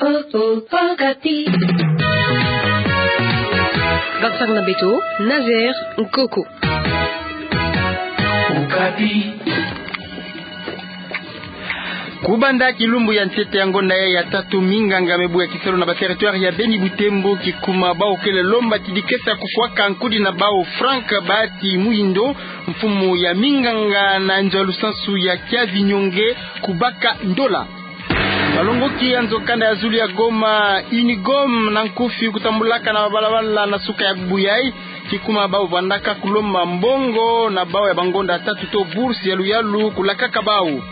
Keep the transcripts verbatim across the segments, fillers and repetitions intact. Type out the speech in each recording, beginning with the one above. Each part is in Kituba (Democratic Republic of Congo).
Okapi. Bansangu na beto, Nazaire Nkoko. Okapi. Kubanda kilumbu ya ntete ya ngonda ya tatu, minganga me buya kisalu na ba territoire ya Beni Butembo, kikuma bawu kele lomba ti dikesa kufwaka nkudi na bawu Franck Bahati Muhindo, mfumu ya minganga na nzo ya lusansu ya Kiavinyonge, kubaka ndola. Balongoki ya nzo kanda ya zulu ya Goma, Unigom na nkufi, kutambulaka na balabala na suka ya bubu yayi, kikuma bawu vandaka kulomba mbongo na bawu ya bangonda tatu to bourse ya luyalu kulakaka bawu.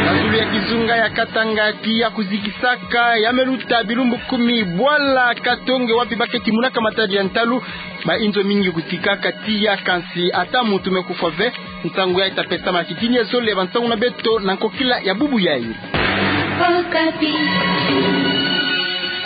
Na zulu ya kizunga ya Katanga, tiya kuzikisaka ya meluta bilumbu kumi bwala Katonge, wapi baketi munaka matadi ya ntalu. Ba inzo mingi kutikaka tiya, kansi ata muntu me kufwa ve. Nsangu yayi ta pesama na kitini ya zole ya bansangu na beto na nkokila ya bubu yayi. Okapi.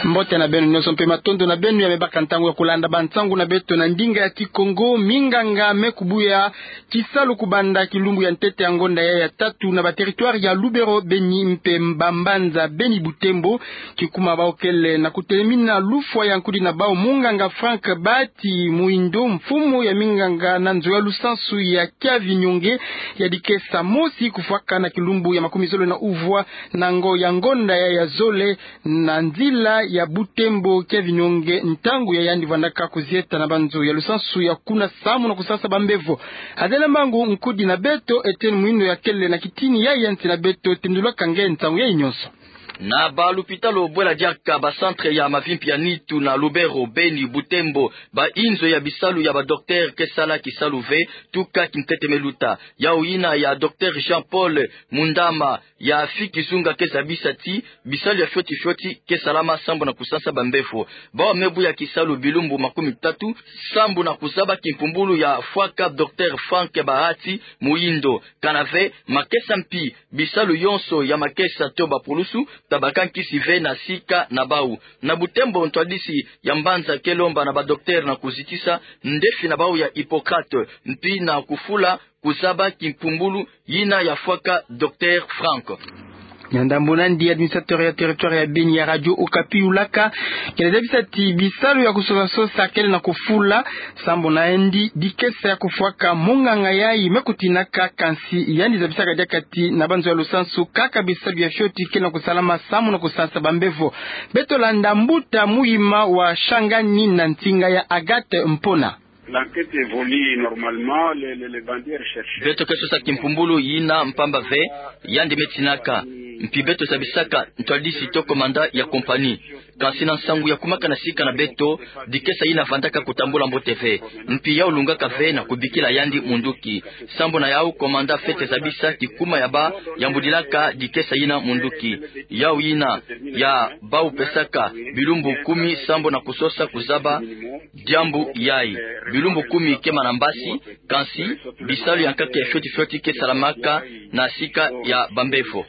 Mbote na beno nyonso mpe matondo na beno ya me baka ntangu ya kulanda bansangu na beto na ndinga ya Kikongo. Minganga me kubuya kisalu kubanda kilumbu ya ntete ya ngonda ya, ya tatu na ba territoire ya Lubero, Beni mpe Bambanza, Beni Butembo, kikuma bawu kele na kutelemina lufwa ya nkudi na bawu munganga Franck Bahati Muhindo, mfumu ya minganga na nzo ya lusansu ya Kiavinyonge, ya dikesa mosi kufwaka na kilumbu ya makumi zole na uvwa na ngo ya ngonda ya, ya zole, na nzila ya Butembo Kiavinyonge, ntangu ya yandi vandaka kuzieta na banzo ya lusansu ya kuna samu na kusasa bambevo. Adèle Mbangu, nkudi na beto, Etienne Muhindo ya kele na kitini ya yansi na beto, tendulaka nge nsangu yayi nyonso. Na ba lupitalu bwela diaka ba centre ya mavimpi ya nitu na Lubero, Beni, Butembo, ba inzo ya bisalu ya ba docteur ke sala kisalu ve, tuka kintete me luta. Yawu yina ya docteur Jean-Paul Mundama, ya fiki zunga ke zabisa ti bisalu ya fioti fioti ke salama sambu na kusansa bambevo. Bawu me buya kisalu bilumbu makumi tatu sambu na kuzaba kimpumbulu ya fwaka docteur Franck Bahati Muhindo. Kana ve makesa mpi, bisalu yonso ya makesa to bapulusu, tabaka nkisi ve na sika na bawu. Na Butembo, ntwadisi ya mbanza ke lomba na ba docteur na kuzitisa ndefi na bawu ya Hippocrate, mpi na kufula kuzaba kimpumbulu yina ya fwaka docteur Franck. Na ndambu nandi, administrateur ya territoire ya Beni ya Radio Okapi yulaka, kele zabisa ti bisalu ya kusosa-sosa kele na kufula, sambu na yandi dikesa ya kufwaka munganga yayi me kutinaka, kansi yandi zabisaka diaka ti na banzo ya lusansu kaka bisalu ya fioti kele na kusalama samu na kusansa bambevo. Beto landa mbuta muyima wa Shangani na nsinga ya Agathe Mpona. L'enquête évolue normalement, les, les, les bandits recherchés. Beto ke sosa kimpumbulu yina mpamba ve yandi me tinaka. Mpi beto zabisaka ntwadisi to commandant ya compagnie. Kansi na nsangu ya kumaka na sika na beto, dikesa yina vandaka kutambula mbote ve. Mpi yawu lungaka ve na kubikila yandi munduki. Sambu na yawu, commandant fwete zabisa kikuma ya ba yambudilaka dikesa yina munduki. Yawu yina ya bawu pesaka bilumbu kumi sambu na kusosa kuzaba diambu yayi. Bilumbu kumi ke mana mpasi, kansi bisalu ya nkaka ya fioti fioti ke salamaka na sika ya bambevo.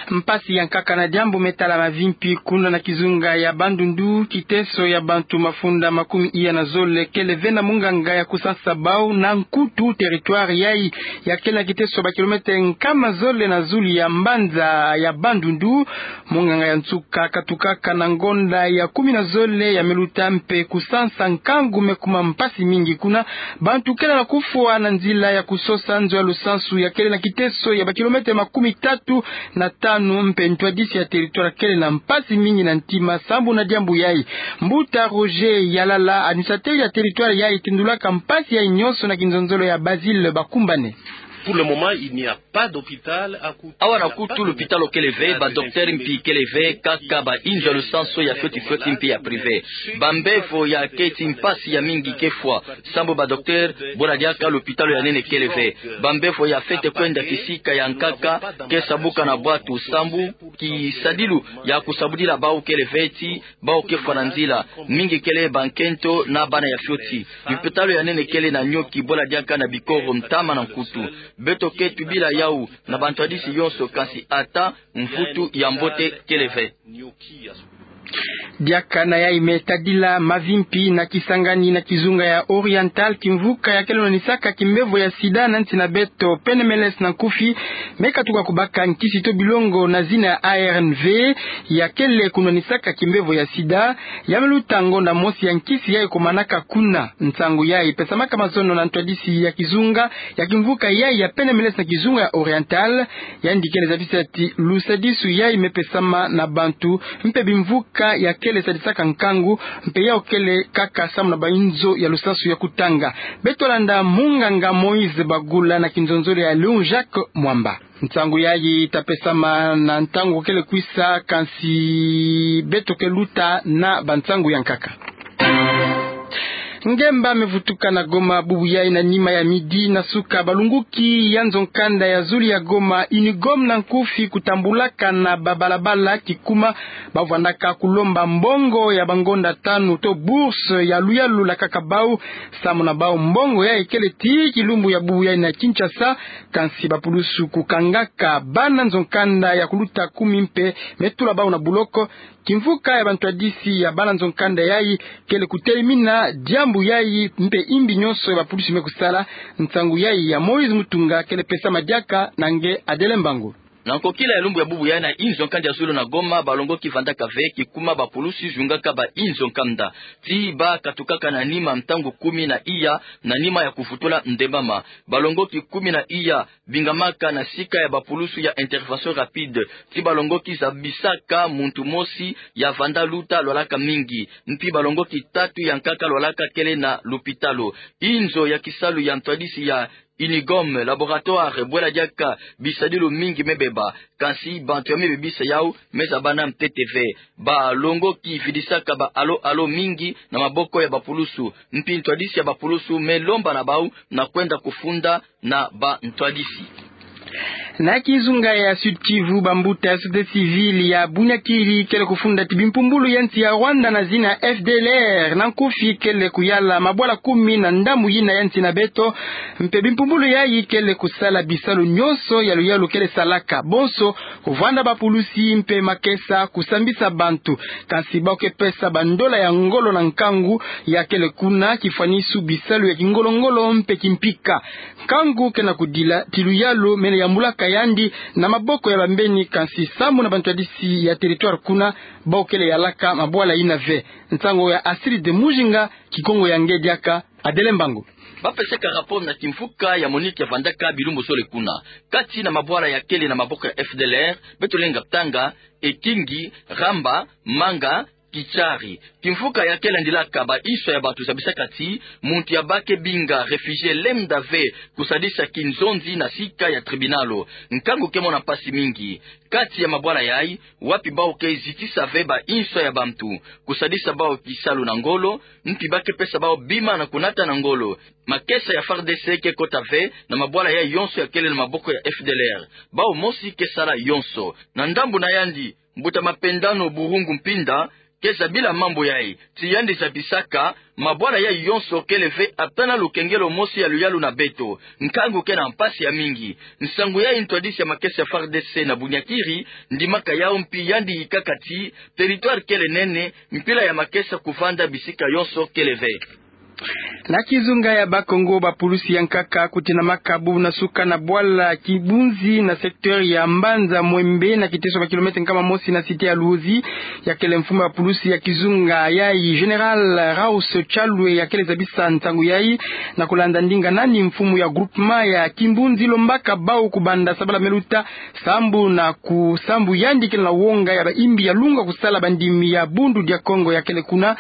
Mpasi ya nkaka na diambu me tala mavimpi kuna na kizunga ya Bandundu, kiteso ya bantu mafunda makumi iya na zole kele ve na munganga ya kusansa bawu na nkutu. Territoire yayi ya kele na kiteso ba kilomètre nkama zole na zulu ya mbanza ya Bandundu. Munganga ya nsuka katukaka na ngonda ya kumi na zole ya me luta mpe kusansa nkangu me kuma mpasi mingi kuna. Bantu kele na kufwa na nzila ya kusosa nzo ya lusansu ya kele na kiteso ya ba kilomètre makumi tatu na tanu, mpe ntwadisi ya territoire kele na mpasi mingi na ntima sambu na diambu yayi. Mbuta Roger Yalala, administrateur ya territoire yayi, tendulaka mpasi yayi nyonso na kinzonzolo ya Basile Bakumbane. Pour le moment, il n'y a pas d'hôpital à Kutu. Awa na Kutu lupitalu kele ve, ba docteur mpi kele ve, kaka ba inzo ya lusansu ya fioti fioti mpi ya privé. Bambevo ya keti mpasi ya mingi ke fwa, sambu ba docteur, bwela diaka lupitalu ya nene kele ve. Bambevo ya fwete kwenda kisika ya nkaka ke sabuka na bwatu, sambu kisadilu ya kusabudila bawu kele ve ti bawu ke fwa na nzila, mingi kele bankento na bana ya fioti. Lupitalu ya nene kele na Nioki, bwela diaka na bikoro ntama na nkutu. Beto ke tubila yawu na bantwadisi yonso, kansi ata mvutu ya mbote kele ve. Diaka na yayi me tadila mavimpi na Kisangani na kizunga ya Oriental, kimvuka ya kele kunanisaka kimbevo ya sida na nsi na beto, Pene-Mélèze na nkufi, me katuka kubaka nkisi to bilongo na zina ya A R N V, ya kele kunanisaka kimbevo ya sida, ya me luta ngonda mosi ya nkisi yayi kumanaka kuna. Nsangu yayi pesamaka mazono na ntwadisi ya kizunga ya kimvuka yayi ya Pene-Mélèze na kizunga ya Oriental, yandi kele zabisa ti lusadisu yayi me pesama na bantu mpe bimvuka ya kele sadisaka nkangu, mpe yawu kele kaka samu na bainzo ya lusasu ya kutanga. Beto landa munganga Moïse Bagula na kinzonzolo ya Léon Jacques Mwamba. Nsangu yayi ta pesama na ntangu kele kwisa, kansi beto ke luta na bansangu ya nkaka. Ngemba me vutuka na Goma bubu yayi na nima ya midi, na suka balongoki ya nzo-nkanda ya zulu ya Goma, Unigom na nkufi, kutambulaka na babalabala, kikuma ba vandaka kulomba mbongo ya bangonda tanu to bourse ya luyalu lakaka bawu. Samu na bawu mbongo yayi kele ti kilumbu ya bubu yayi na Kinshasa, kansi bapulusu kukangaka bana nzo-nkanda ya kuluta kumi mpe me tula bawu na buloko. Kimvuka ya bantwadisi ya bana nzo-nkanda yayi kele kutelimina diambu yayi, mpe imbi nyonso ya bapulusu me kusala. Nsangu yayi ya Moïse Mutunga kele pesama diaka na nge Adele Mbangu. Na nkokila ya lumbu ya bubu yayi na inzo-nkanda ya zulu na Goma, balongoki vandaka ve, kikuma bapulusu zungaka bainzo-nkanda ti bakatukaka na nima ntangu kumi na iya na nima ya kuvutula ndembama. Balongoki kumi na iya bingamaka na sika ya bapulusu ya intervention rapide, ti balongoki zabisaka muntu mosi ya vanda luta lwalaka mingi, mpi balongoki tatu ya nkaka lwalaka kele na lupitalu. Inzo ya kisalu ya ntwadisi ya Unigom Laboratoire bwela diaka bisadilu mingi me beba, kansi bantu ya me bebisa yawu me zaba na ntete ve. Balongoki vidisaka ba alo-alo mingi na maboko ya bapulusu, mpi ntwadisi ya bapulusu me lomba na bawu na kwenda kufunda na bantwadisi. Na kizunga ya Sud-Kivu, bambuta ya société civile ya Bunyakiri kele kufunda ti bimpumbulu ya nsi ya Rwanda na zina F D L R na nkufi kele kuyala mabwala kumi na ndambu yina ya nsi na beto, mpe bimpumbulu yayi kele kusala bisalu nyonso ya luyalu kele salaka. Bonso kuvanda bapulusi mpe makesa kusambisa bantu. Kansi bawu ke pesa bandola ya ngolo na nkangu ya kele kuna, kifwanisu bisalu ya kingolo-ngolo mpe kimpika. Nkangu ke na kudila ti luyalu me na yambulaka yandi na maboko ya bambeni, kansi sambu na bantwadisi ya territoire kuna, bawu kele yalaka mabwala yina ve. Nsangu ya Astrid Mujinga, Kikongo ya nge diaka Adele Mbangu. Ba peseka rapport na kimvuka ya MONUC ya vandaka bilumbu zole kuna. Kati na mabwala ya kele na maboko ya F D L R, beto lenga tanga Ekingi, Ramba, Manga, Kichari. Kimvuka ya kele landilaka bainzo ya bantu zabisaka ti muntu ya ba ke binga réfugié lenda ve kusadisa kinzonzi na sika ya tribunal. Nkangu ke mona mpasi mingi kati ya mabwala yayi, wapi bawu ke zitisa ve bainzo ya bantu, kusadisa bawu kisalu na ngolo, mpi ba ke pesa bawu bima na kunata na ngolo. Makesa ya F A R D C ke kota ve na mabwala yayi yonso ya kele na maboko ya F D L R. Bawu mosi ke sala yonso. Na ndambu na yandi, mbuta Mapendano Burungu Mpinda ke zabila mambu yayi, ti yandi zabisaka mabwala yayi yonso kele ve ata na lukengelo mosi ya luyalu na beto. Nkangu ke na mpasi ya mingi. Nsangu yayi ntwadisi ya makesa ya F A R D C na Bunyakiri ndimaka yawu, mpi yandi yikaka ti territoire kele nene, mpila ya makesa kuvanda bisika yonso kele ve. Na kizunga ya Bakongo, bapulusi ya nkaka kutinamaka bubu na suka na bwala Kibunzi na secteur ya Mbanza Mwembe, na kiteso ba kilomètre nkama mosi na cité ya Luozi, ya kele mfumu ya bapulusi ya kizunga yayi, Général Raus Chalwe, ya kele zabisa nsangu yayi. Na kulanda ndinga nani mfumu ya groupement ya Kibunzi lombaka bawu kubanda sabala me luta, sambu na ku-, sambu yandi kele na wonga ya baimbi ya lunga kusala bandimi ya Bundu dia Kongo ya kele kuna.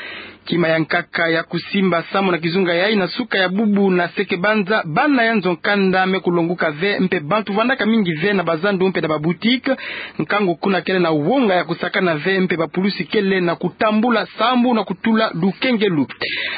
Kima ya nkaka ya kusimba samu na kizunga yayi na suka ya bubu na Seke Banza, bana ya nzo nkanda me kulonguka ve, mpe bantu vandaka mingi ve na bazandu mpe na baboutique. Nkangu kuna kele na wonga ya kusakana ve, mpe bapulusi kele na kutambula sambu na kutula lukengelu.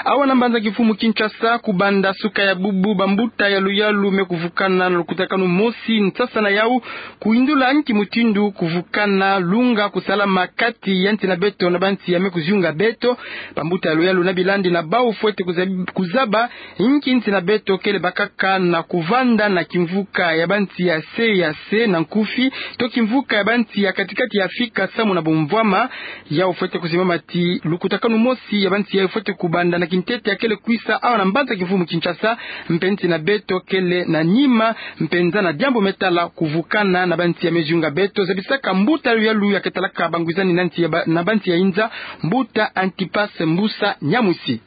Awa na mbanza kimfumu Kinshasa, kubanda suka ya bubu, bambuta ya luyalu me kuvukana na lukutakanu mosi nsasa na yawu, kuyindula nki mutindu kuvukana lunga kusalama kati ya nsi na beto na bansi ya me kuziunga beto. Bambuta Talo ya luna bilandi na bau fwete kuza-, kuzaba inki nsi na beto kele bakaka na kuvanda na kimvuka ya bansi ya C E E A C na nkufi, to kimvuka ya bansi ya kati-kati ya Afrika samu na bumvwama. Yau fwete kusimama ti lukutakanu mosi ya bansi yai fwete kubanda na kintete ya kele kwisa awa na mbanza kimfumu Kinshasa, mpe nsi na beto kele na nima mpenza na diambu me tala kuvukana na bansi ya meziunga beto, zabisaka mbuta ya lu ya ke talaka bangwizani na nsi ya ba-, na bansi ya inza, mbuta Antipas Mbusa Nyamwisi.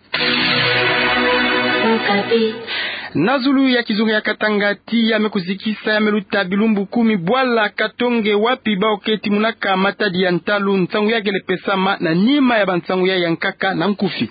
Na zulu ya kizunga ya Katanga, tiya me kuzikisa ya me luta bilumbu kumi bwala Katonge, wapi bau ke timunaka matadi ya ntalu. Nsangu ya kele pesama na nima ya bansangu ya ya nkaka na nkufi.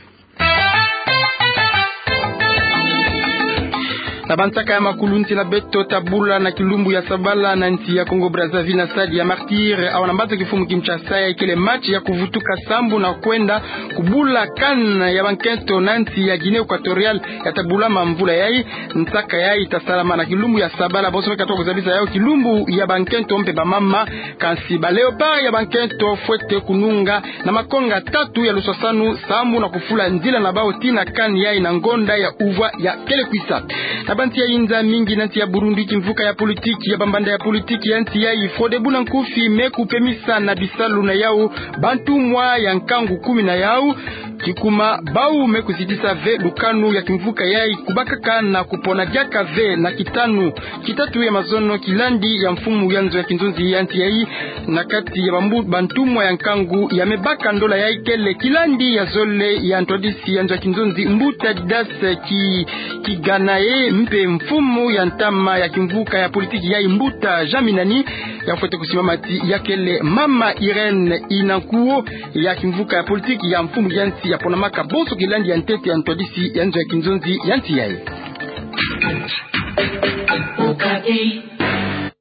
Na bansaka ya makulu, nsi na beto ta bula na kilumbu ya sabala na nsi ya Congo Brazzaville na stade ya Martyrs, awa na mbanza kimfumu Kinshasa, ya kele match ya kuvutuka sambu na kwenda kubula CAN ya bankento na nsi ya Guinée Equatoriale, ya ta bulama mvula yai. Nsaka yai ta salama na kilumbu ya sabala, bonso me katuka kuzabisa yau kilumbu ya bankento mpe bamama. Kansi ba Léopards ya bankento fwete kununga na makonga tatu ya luswasanu sambu na kufula nzila na bau tii na CAN yai na ngonda ya uvwa ya kele kwisa. Na bansi ya inza, mingi na nsi ya Burundi, kimvuka ya politiki ya bambanda ya politiki ya nsi yai, Frodebu na nkufi, me kupemisa na bisalu na yau bantumwa ya nkangu kumi na yau, kikuma bau me kuzitisa ve lukanu ya kimvuka yai kubakaka na kupona diaka ve na kitanu, kitatu ya mazono, kilandi ya mfumu ya nzo ya kinzonzi ya nsi yai, na kati ya bambu-, bantumwa ya nkangu ya me baka ndola yai kele kilandi ya zole ya ntwadisi ya nzo ya kinzonzi, mbuta Didas Ki-, Kiganae, mpe mfumu ya ntama ya kimvuka ya politiki yai, mbuta Jean Minani, ya fwete kusimama ti ya kele mama Irène Inankuo, ya kimvuka ya politiki ya mfumu ya nsi, ya ponamaka bonso kilandi ya ntete ya ntwadisi ya nzo ya kinzonzi ya nsi yai.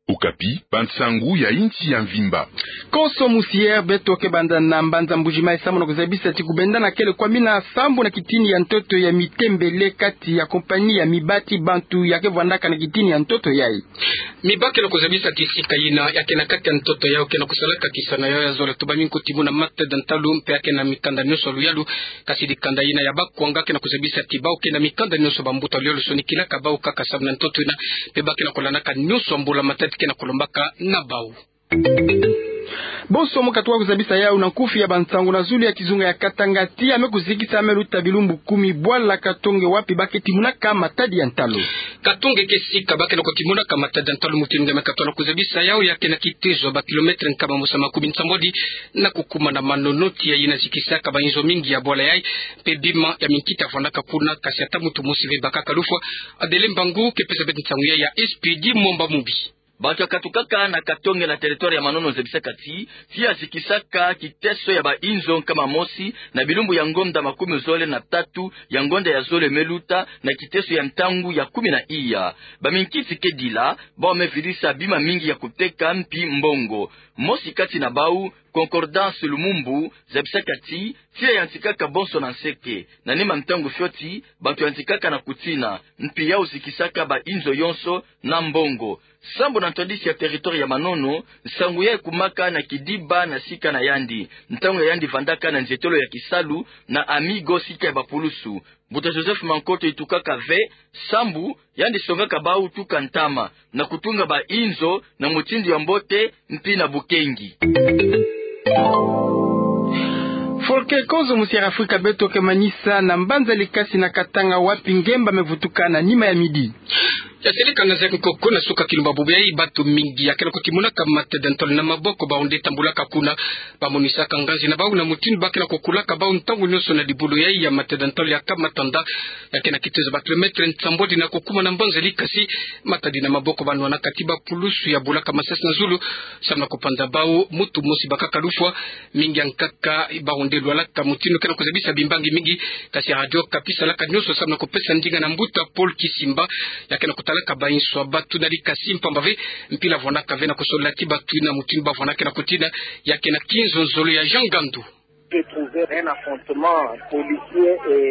Okapi, bansangu ya insi ya mvimba. Konso musier, beto ke banda na mbanza Mbuji-Mayi sambu na kuzabisa ti kubendana kele kwamina sambu na kitini ya ntoto ya mitembele kati ya kompani ya Mibati, bantu ya ke vwandaka na kitini ya ntoto yai. Mibaki na kuzabisa ti sika yina ya ke na kati ya ntoto yau ke na kusalaka kisana yau ya zole tubami nkuti muna matadi ya ntalu mpe ya ke na mikanda nyonso ya luyalu. Kasi dikanda yina ya bakwanga ke na kuzabisa ti bau ke na mikanda nyonso, bambuta ya luyalu sonikilaka bau kaka sambu na ntoto yina, mpe ba ke na kulandaka nyonso mbula-matadi ke na kulombaka na bau. Bonso mo katuka kuzabisa yau na nkufi ya bansangu na zulu ya kizunga ya Katanga, tiya me kuzikisa me luta bilumbu kumi bwala Katonge, wapi ba ke timunaka matadi ya ntalu. Katonge ke sika ba ke na kutimunaka matadi ya ntalu, mutindu nge me katuka na kuzabisa yau, ya ke na kitezo ba kilometre nkama mosi na makumi nsambwadi na kukuma na Manono, tiya yina zikisaka ba inzo mingi ya bwala yai, mpe bima ya minkita vwandaka kuna, kasi ata muntu mosi ve bakaka lufwa. Adele Mbangu ke pesa beto nsangu yai ya Expédit Mwamba Mubi. Bantu ya katukaka na Katonge na territoire ya Manono zabisaka ti, tiya zikisaka kiteso ya ba inzo nkama mosi na bilumbu ya ngonda makumi zole na tatu ya ngonda ya zole me luta, na kiteso ya ntangu ya kumi na iya. Ba minkiti ke dila, bau me vidisa bima mingi ya kuteka mpi mbongo. Mosi kati na bau, Concordance Lumumbu, zabisaka ti, tiya yantikaka bonso na nseke, na nima ntangu fioti, bantu yantikaka na kutina, mpi yau zikisaka ba inzo yonso na mbongo. Sambu na ntwadisi ya territoire ya Manono, nsangu yai ekumaka na Kidiba na sika na yandi, ntangu ya yandi vandaka na nzietolo ya kisalu na Amigo, sika ya bapulusu. Mbuta Joseph Mankoto itukaka ve sambu, yandi songaka bau tuka ntama na kutunga ba inzo na mutindu ya mbote mpi na bukengi. Folke Konzo, musier Afrika, beto ke manisa na mbanza Likasi na Katanga, wapi ngemba me vutuka na nima ya midi. Ya seleka nga zek nkoko na suka kilumba bubu yai, bantu mingi ya ke na kutimunaka matadi ya ntalu na maboko, bau nde tambulaka kuna. Ba monisaka nganzi na bau na mutindu ba ke na kukulaka bau ntangu nyonso na libulu yai ya matadi ya ntalu ya Kamatanda, ya ke na kitezo ba kilometre nsambwadi na kukuma na mbanza Likasi. Matadi na maboko ba nwanaka ti bapulusu ya bulaka masasi na zulu, sambu na kupanza bau, muntu mosi bakaka lufwa. Mingi ya nkaka bau nde lwalaka, mutindu ke na kuzabisa bimbangi mingi. Kasi Radio Okapi salaka nyonso sambu na kupesa ndinga na mbuta Paul Kisimba, ya ke na kutalaka ba inso ya bantu na Likasi, mpamba ve mpila vwandaka ve na kusolila ti bantu yina mutindu ba vwandaka na kutina, ya ke na kinzonzolo ya Jean Ngandu.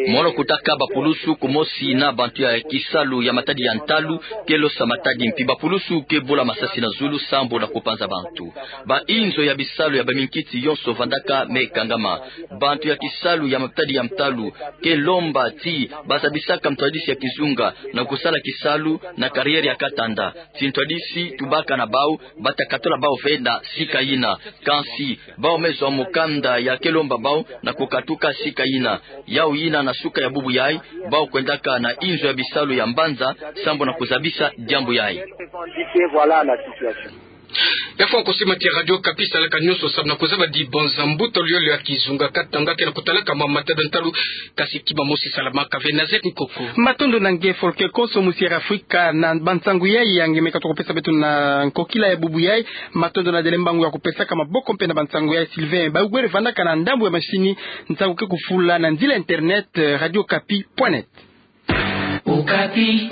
Mono kutaka bapulusu kumosi na bantu ya kisalu ya matadi ya ntalu ke losa matadi mpi bapulusu ke bula masasi na zulu sambu na kupanza bantu. Ba inzo ya bisalu ya baminkiti yonso vandaka me kangama. Bantu ya kisalu ya matadi ya ntalu ke lomba ti bazabisaka ntwadisi ya kizunga na kusala kisalu na carrière ya Katanda. Ti ntwadisi tubaka na bau, bata katula bau ve na sika yina. Kansi bau me zwa mukanda ya ke lomba bau na kukatuka sika yina. Yau yina na suka ya bubu yai, bau kwendaka na inzo ya bisalu ya mbanza sambu na kuzabisa diambu yai. Ya fwa kosima ti Radio Okapi salaka nionso sambu na kuzabadi banza mbuta luyolo ya kizunga Katanga ke na kutalaka mwa matada ntalu. Kasi kima mosi salamaka ve na zeki nkoko. Matondo na nge Folke Konso, musi ya Afrika, na bansangu yai ya nge me katoko pesa beto na nkokila ya bubu yai. Matondo na Dele Mbangu ya kupesaka maboko mpe na bansangu yai, Sylvain Baugwere vandaka na ndambu ya masini, nsangu ke kufula na nzila internet, eh, radio okapi point net. Okapi.